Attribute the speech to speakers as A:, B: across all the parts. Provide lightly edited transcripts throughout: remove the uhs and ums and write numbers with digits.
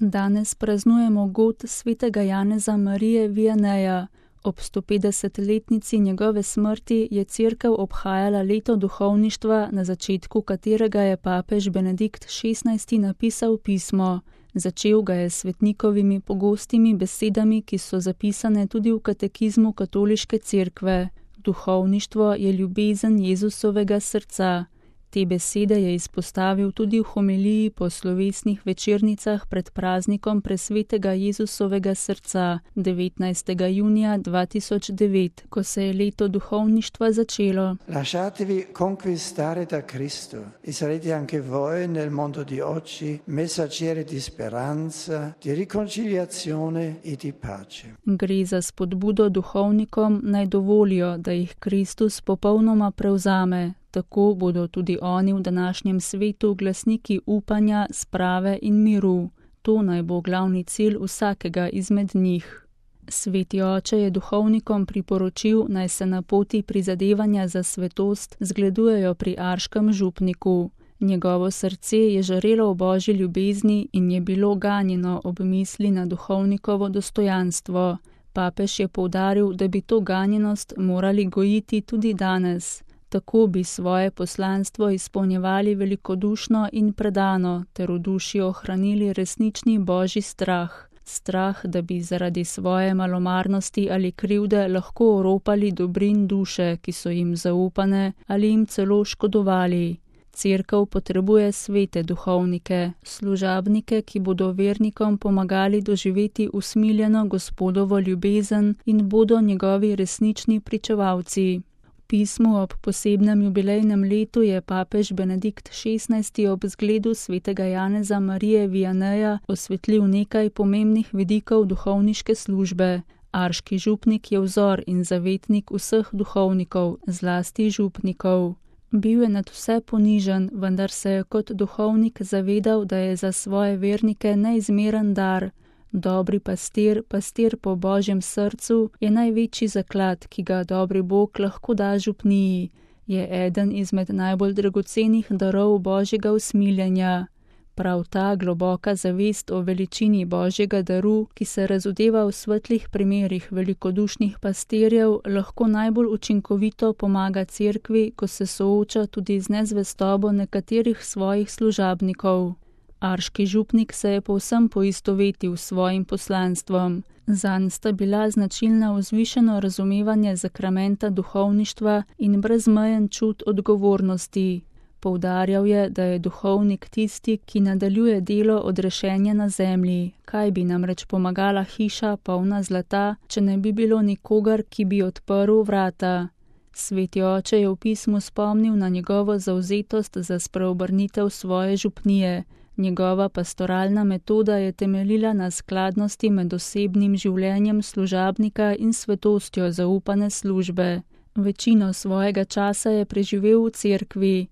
A: Danes praznujemo god svetega Janeza Marije Vianeja. Ob 150-letnici njegove smrti je Cerkev obhajala leto duhovništva, na začetku katerega je papež Benedikt XVI. Napisal pismo. Začel ga je s svetnikovimi pogostimi besedami, ki so zapisane tudi v katekizmu katoliške cerkve. Duhovništvo je ljubezen Jezusovega srca. Te besede je izpostavil tudi v homiliji po slovesnih večernicah pred praznikom presvetega Jezusovega srca 19. junija 2009, ko se je leto duhovništva začelo.
B: Lasciatevi conquistare da Cristo e sarete anche voi nel mondo di oggi messaggeri di speranza, di riconciliazione e di pace.
A: Gre za spodbudo duhovnikom, naj dovolijo, da jih Kristus popolnoma prevzame. Tako bodo tudi oni v današnjem svetu glasniki upanja, sprave in miru. To naj bo glavni cilj vsakega izmed njih. Sveti oče je duhovnikom priporočil, naj se na poti prizadevanja za svetost zgledujejo pri arškem župniku. Njegovo srce je žarelo v božji ljubezni in je bilo ganjeno ob misli na duhovnikovo dostojanstvo. Papež je poudaril, da bi to ganjenost morali gojiti tudi danes. Tako bi svoje poslanstvo izpolnjevali velikodušno in predano, ter v duši ohranili resnični božji strah. Strah, da bi zaradi svoje malomarnosti ali krivde lahko oropali dobrin duše, ki so jim zaupane, ali jim celo škodovali. Cerkev potrebuje svete duhovnike, služabnike, ki bodo vernikom pomagali doživeti usmiljeno Gospodovo ljubezen in bodo njegovi resnični pričevalci. V pismu ob posebnem jubilejnem letu je papež Benedikt XVI. Ob zgledu svetega Janeza Marije Vianeja osvetlil nekaj pomembnih vidikov duhovniške službe. Arški župnik je vzor in zavetnik vseh duhovnikov, zlasti župnikov. Bil je nad vse ponižen, vendar se je kot duhovnik zavedal, da je za svoje vernike neizmeren dar. Dobri pastir, pastir po božjem srcu, je največji zaklad, ki ga dobri Bog lahko da župniji. Je eden izmed najbolj dragocenih darov božjega usmiljenja. Prav ta globoka zavest o veličini božjega daru, ki se razodeva v svetlih primerih velikodušnih pastirjev, lahko najbolj učinkovito pomaga cerkvi, ko se sooča tudi z nezvestobo nekaterih svojih služabnikov. Arški župnik se je povsem poistovetil s svojim poslanstvom. Zanj sta bila značilna vzvišeno razumevanje sakramenta duhovništva in brezmejen čut odgovornosti. Poudarjal je, da je duhovnik tisti, ki nadaljuje delo odrešenja na zemlji. Kaj bi namreč pomagala hiša polna zlata, če ne bi bilo nikogar, ki bi odprl vrata? Sveti oče je v pismu spomnil na njegovo zavzetost za spreobrnitev svoje župnije. Njegova pastoralna metoda je temeljila na skladnosti med osebnim življenjem služabnika in svetostjo zaupane službe. Večino svojega časa je preživel v cerkvi.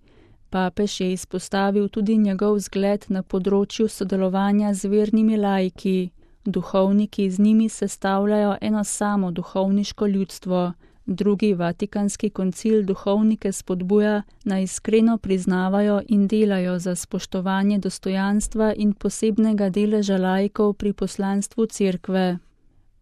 A: Papež je izpostavil tudi njegov zgled na področju sodelovanja z vernimi laiki. Duhovniki z njimi sestavljajo eno samo duhovniško ljudstvo. Drugi vatikanski koncil duhovnike spodbuja, naj iskreno priznavajo in delajo za spoštovanje dostojanstva in posebnega deleža laikov pri poslanstvu cerkve.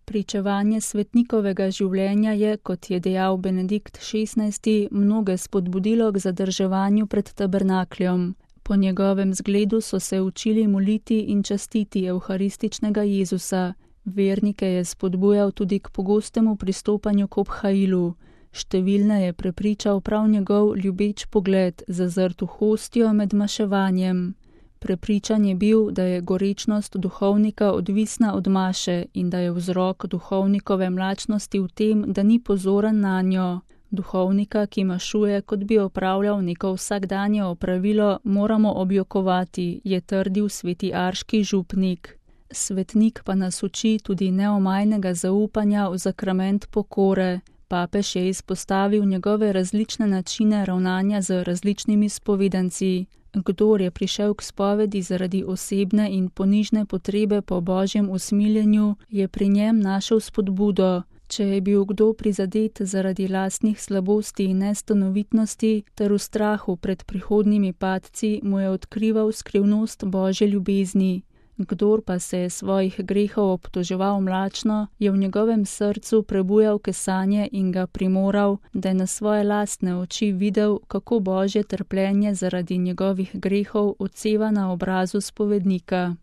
A: Pričevanje svetnikovega življenja je, kot je dejal Benedikt XVI., mnoge spodbudilo k zadrževanju pred tabernakljem. Po njegovem zgledu so se učili moliti in častiti evharističnega Jezusa. Vernike je spodbujal tudi k pogostemu pristopanju k obhajilu. Številne je prepričal prav njegov ljubeč pogled, zazrt v hostijo med maševanjem. Prepričan je bil, da je gorečnost duhovnika odvisna od maše in da je vzrok duhovnikove mlačnosti v tem, da ni pozoren nanjo. Duhovnika, ki mašuje, kot bi opravljal neko vsakdanje opravilo, moramo objokovati, je trdil sveti arški župnik. Svetnik pa nas uči tudi neomajnega zaupanja v sakrament pokore. Papež je izpostavil njegove različne načine ravnanja z različnimi spovedanci. Kdor je prišel k spovedi zaradi osebne in ponižne potrebe po božjem usmiljenju, je pri njem našel spodbudo. Če je bil kdo prizadet zaradi lastnih slabosti in nestanovitnosti ter v strahu pred prihodnjimi padci, mu je odkrival skrivnost božje ljubezni. Kdor pa se je svojih grehov obtoževal mlačno, je v njegovem srcu prebujal kesanje in ga primoral, da je na svoje lastne oči videl, kako Božje trpljenje zaradi njegovih grehov odseva na obrazu spovednika.